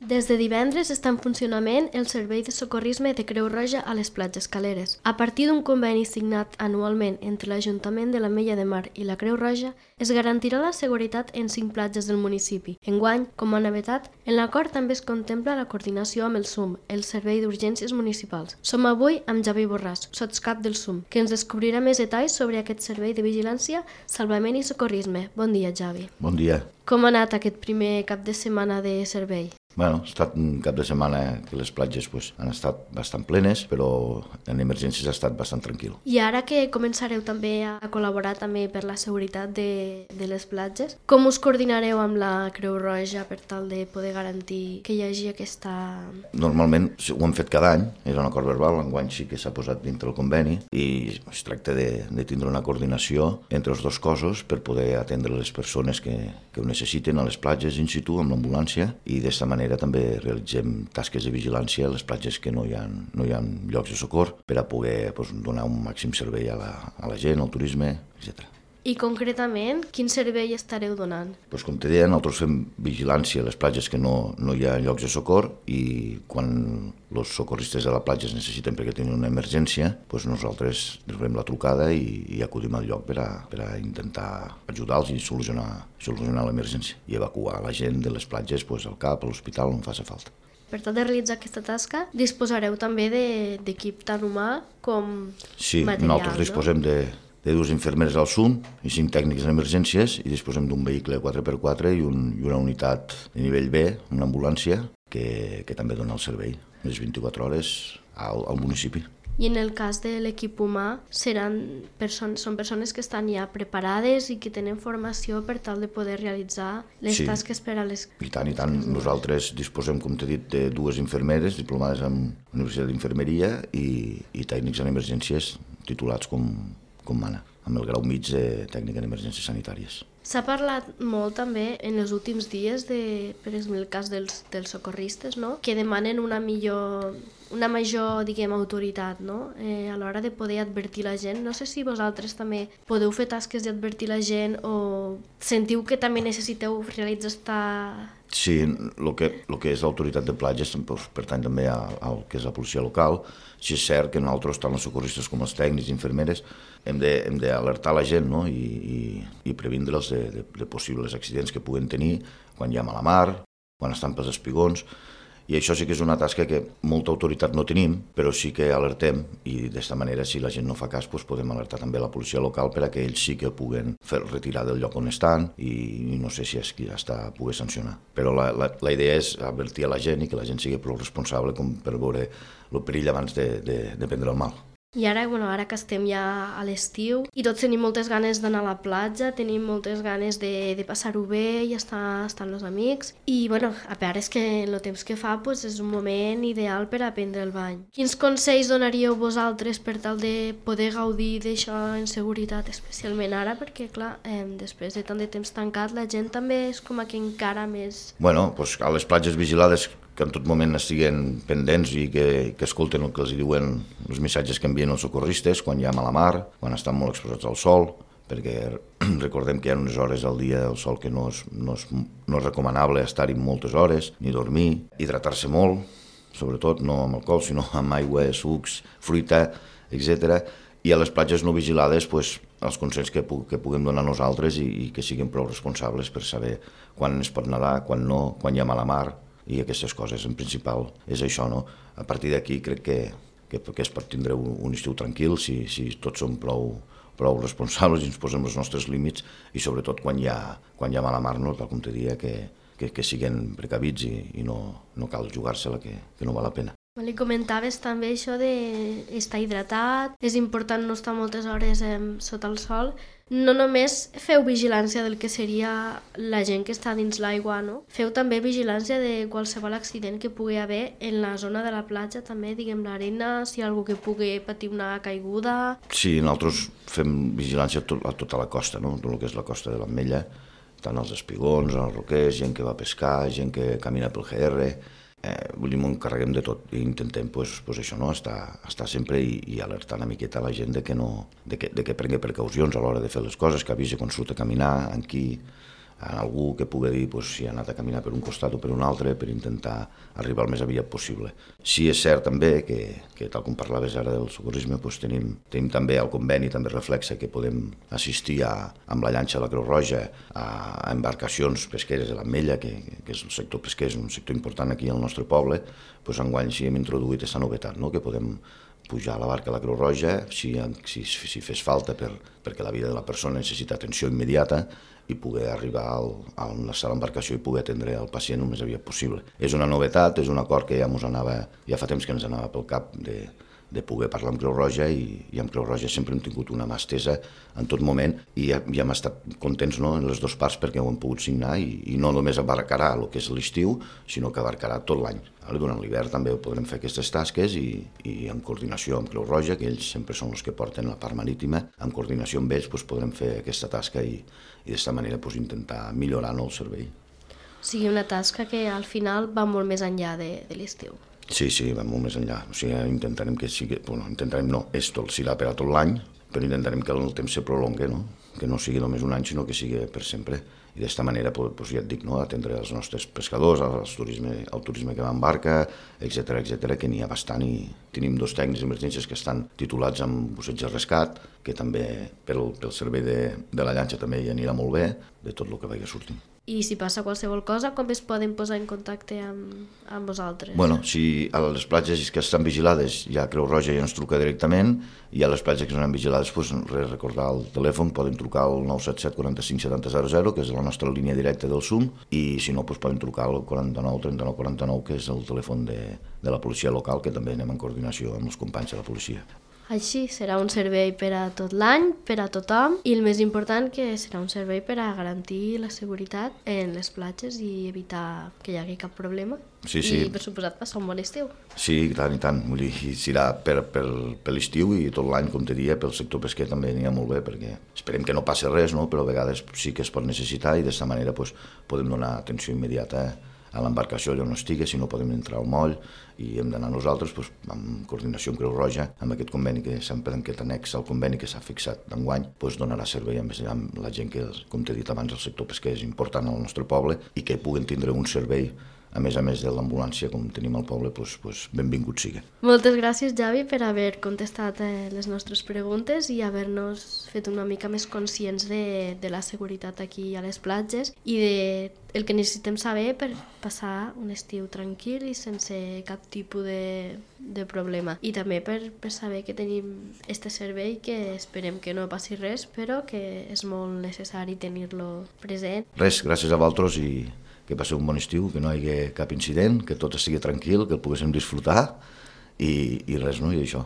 Des de divendres està en funcionament el servei de socorrisme de Creu Roja a les platges caleres. A partir d'un conveni signat anualment entre l'Ajuntament de l'Ametlla de Mar i la Creu Roja, es garantirà la seguretat en 5 platges del municipi. Enguany, com a novetat, en l'acord també es contempla la coordinació amb el SUM, el Servei d'Urgències Municipals. Som avui amb Javi Borràs, sotscap del SUM, que ens descobrirà més detalls sobre aquest servei de vigilància, salvament i socorrisme. Bon dia, Javi. Bon dia. Com ha anat aquest primer cap de setmana de servei? Ha estat un cap de setmana que les platges han estat bastant plenes, però en emergències ha estat bastant tranquil. I ara que començareu també a col·laborar també per la seguretat de les platges, com us coordinareu amb la Creu Roja per tal de poder garantir que hi hagi aquesta... Normalment ho hem fet cada any, és un acord verbal, enguany sí que s'ha posat dintre el conveni i es tracta de tindre una coordinació entre els dos cossos per poder atendre les persones que ho necessiten a les platges in situ amb l'ambulància i d'esta manera també realitzem tasques de vigilància a les platges que no hi ha llocs de socor per a poder donar un màxim servei a la gent, al turisme, etc. I concretament, quin servei estareu donant? Com te deia, nosaltres fem vigilància a les platges que no hi ha llocs de socor i quan els socorristes de la platja es necessiten perquè tenen una emergència, nosaltres rebem la trucada i acudim al lloc per a intentar ajudar-los i solucionar l'emergència i evacuar la gent de les platges al CAP, a l'hospital, on faci falta. Per tal de realitzar aquesta tasca, disposareu també d'equip tant humà com material, Sí, nosaltres disposem de 2 infermeres al SUM i 5 tècnics en emergències i disposem d'un vehicle 4x4 i una unitat de nivell B, una ambulància, que també dona el servei les 24 hores al municipi. I en el cas de l'equip humà, són persones que estan ja preparades i que tenen formació per tal de poder realitzar les tasques per a les... I tant. Nosaltres disposem, com t'he dit, de 2 infermeres diplomades en Universitat d'Infermeria i tècnics en emergències titulats com mana, amb el grau mig de tècnica en emergències sanitàries. S'ha parlat molt també en els últims dies per exemple, el cas dels socorristes, no? Que demanen una major, autoritat, no? A l'hora de poder advertir la gent. No sé si vosaltres també podeu fer tasques d'advertir la gent o sentiu que també necessiteu realitzar esta... Sí, el que és l'autoritat de platges pertany també al que és la policia local. Sí, és cert que nosaltres, tant els socorristes com els tècnics i infermeres, hem d'alertar la gent, no? i previndre'ls de possibles accidents que puguen tenir quan hi ha mala mar, quan estan pels espigons. I això sí que és una tasca que molta autoritat no tenim, però sí que alertem i d'esta manera, si la gent no fa cas, podem alertar també la policia local per a que ells sí que puguen fer retirar del lloc on estan i no sé si és qui està poder sancionar. Però la idea és advertir a la gent i que la gent sigui prou responsable com per veure el perill abans de prendre el mal. I ara que estem ja a l'estiu i tots tenim moltes ganes d'anar a la platja, tenim moltes ganes de passar-ho bé i estar amb els amics. I a part és que el temps que fa és un moment ideal per a prendre el bany. Quins consells donaríeu vosaltres per tal de poder gaudir d'això en seguretat, especialment ara? Perquè, clar, després de tant de temps tancat, la gent també és com que encara més... A les platges vigilades que en tot moment estiguen pendents i que escolten el que els diuen els missatges que envien els socorristes quan hi ha mala mar, quan estan molt exposats al sol, perquè recordem que hi ha unes hores al dia del sol que no és recomanable estar-hi moltes hores, ni dormir, hidratar-se molt, sobretot no amb alcohol, sinó amb aigua, sucs, fruita, etc. I a les platges no vigilades, els consells que puguem donar nosaltres i que siguin prou responsables per saber quan es pot nedar, quan no, quan hi ha mala mar, i aquestes coses, en principal, és això, no? A partir d'aquí crec que es pot tindre un estiu tranquil si tots som prou responsables i ens posem els nostres límits i sobretot quan hi ha mala mar, no? Tal com te dia, que siguin precavits i no cal jugar-se-la, que no val la pena. Li comentaves també això d'estar hidratat, és important no estar moltes hores sota el sol. No només feu vigilància del que seria la gent que està dins l'aigua, no? Feu també vigilància de qualsevol accident que pugui haver en la zona de la platja, també, l'arena, si hi ha algú que pugui patir una caiguda... Sí, nosaltres fem vigilància a tota la costa, no? Tot el que és la costa de l'Ametlla, tant als espigons, als roquers, gent que va a pescar, gent que camina pel GR... Ens encarreguem de tot i intentem això, no? estar sempre i alertar una miqueta a la gent de que prengui precaucions a l'hora de fer les coses, que avisi quan surt a caminar, amb qui en algú que pugui dir si ha anat a caminar per un costat o per un altre per intentar arribar el més aviat possible. Sí és cert també que tal com parlaves ara del socorrisme, tenim també el conveni, també reflexa que podem assistir amb la llanxa de la Creu Roja a embarcacions pesqueres de l'Ametlla, que és el sector pesquer, és un sector important aquí al nostre poble. Enguany sí hem introduït aquesta novetat, que podem pujar a la barca de la Creu Roja si fes falta perquè la vida de la persona necessita atenció immediata i poder arribar a l'embarcació i poder atendre el pacient el més aviat possible. És una novetat, és un acord que ja fa temps que ens anava pel cap de poder parlar amb Creu Roja i amb Creu Roja sempre hem tingut una mà estesa en tot moment i ja hem estat contents en les dues parts perquè ho hem pogut signar i no només abarcarà el que és l'estiu, sinó que abarcarà tot l'any. Durant l'hivern també podrem fer aquestes tasques i en coordinació amb Creu Roja, que ells sempre són els que porten la part marítima, en coordinació amb ells podrem fer aquesta tasca i d'esta manera intentar millorar el servei. O sigui, una tasca que al final va molt més enllà de l'estiu. Sí, va molt més enllà. O sigui, intentarem que sigui... intentarem no, serà per a tot l'any, però intentarem que el temps se prolongui, que no sigui només un any, sinó que sigui per sempre. I d'esta manera, ja et dic, atendre els nostres pescadors, el turisme que va en barca, etcètera, que n'hi ha bastant i tenim 2 tècnics d'emergències que estan titulats amb busseig de rescat, que també pel servei de la llanxa també hi anirà molt bé, de tot el que vagi sortint. I si passa qualsevol cosa, com es poden posar en contacte amb vosaltres? Si a les platges que estan vigilades ja Creu Roja ja ens truca directament i a les platges que no estan vigilades, recordar el telèfon, poden trucar al 977 45 70 00, que és la nostra línia directa del SUM, i si no, poden trucar al 49 39 49, que és el telèfon de la policia local, que també anem en coordinació amb els companys de la policia. Així serà un servei per a tot l'any, per a tothom, i el més important que serà un servei per a garantir la seguretat en les platges i evitar que hi hagi cap problema. Sí. I, per suposat, passar un bon estiu. Sí, i tant. Vull dir, serà per l'estiu i tot l'any, com te dia, pel sector pesquer també anirà molt bé, perquè esperem que no passi res, però a vegades sí que es pot necessitar i d'esta manera podem donar atenció immediata a l'embarcació allà on estigui, si no podem entrar al moll i hem d'anar nosaltres en coordinació amb Creu Roja, amb aquest conveni que sempre en aquest annex al conveni que s'ha fixat d'enguany, donarà servei amb la gent que, com t'he dit abans, el sector pesquer és important al nostre poble i que puguen tindre un servei a més de l'ambulància, com tenim al poble, benvingut sigui. Moltes gràcies, Javi, per haver contestat les nostres preguntes i haver-nos fet una mica més conscients de la seguretat aquí a les platges i el que necessitem saber per passar un estiu tranquil i sense cap tipus de problema. I també per saber que tenim este servei, que esperem que no passi res, però que és molt necessari tenir-lo present. Res, gràcies a vosaltres i que passeu un bon estiu, que no hi hagi cap incident, que tot estigui tranquil, que el poguéssim disfrutar i res, i això.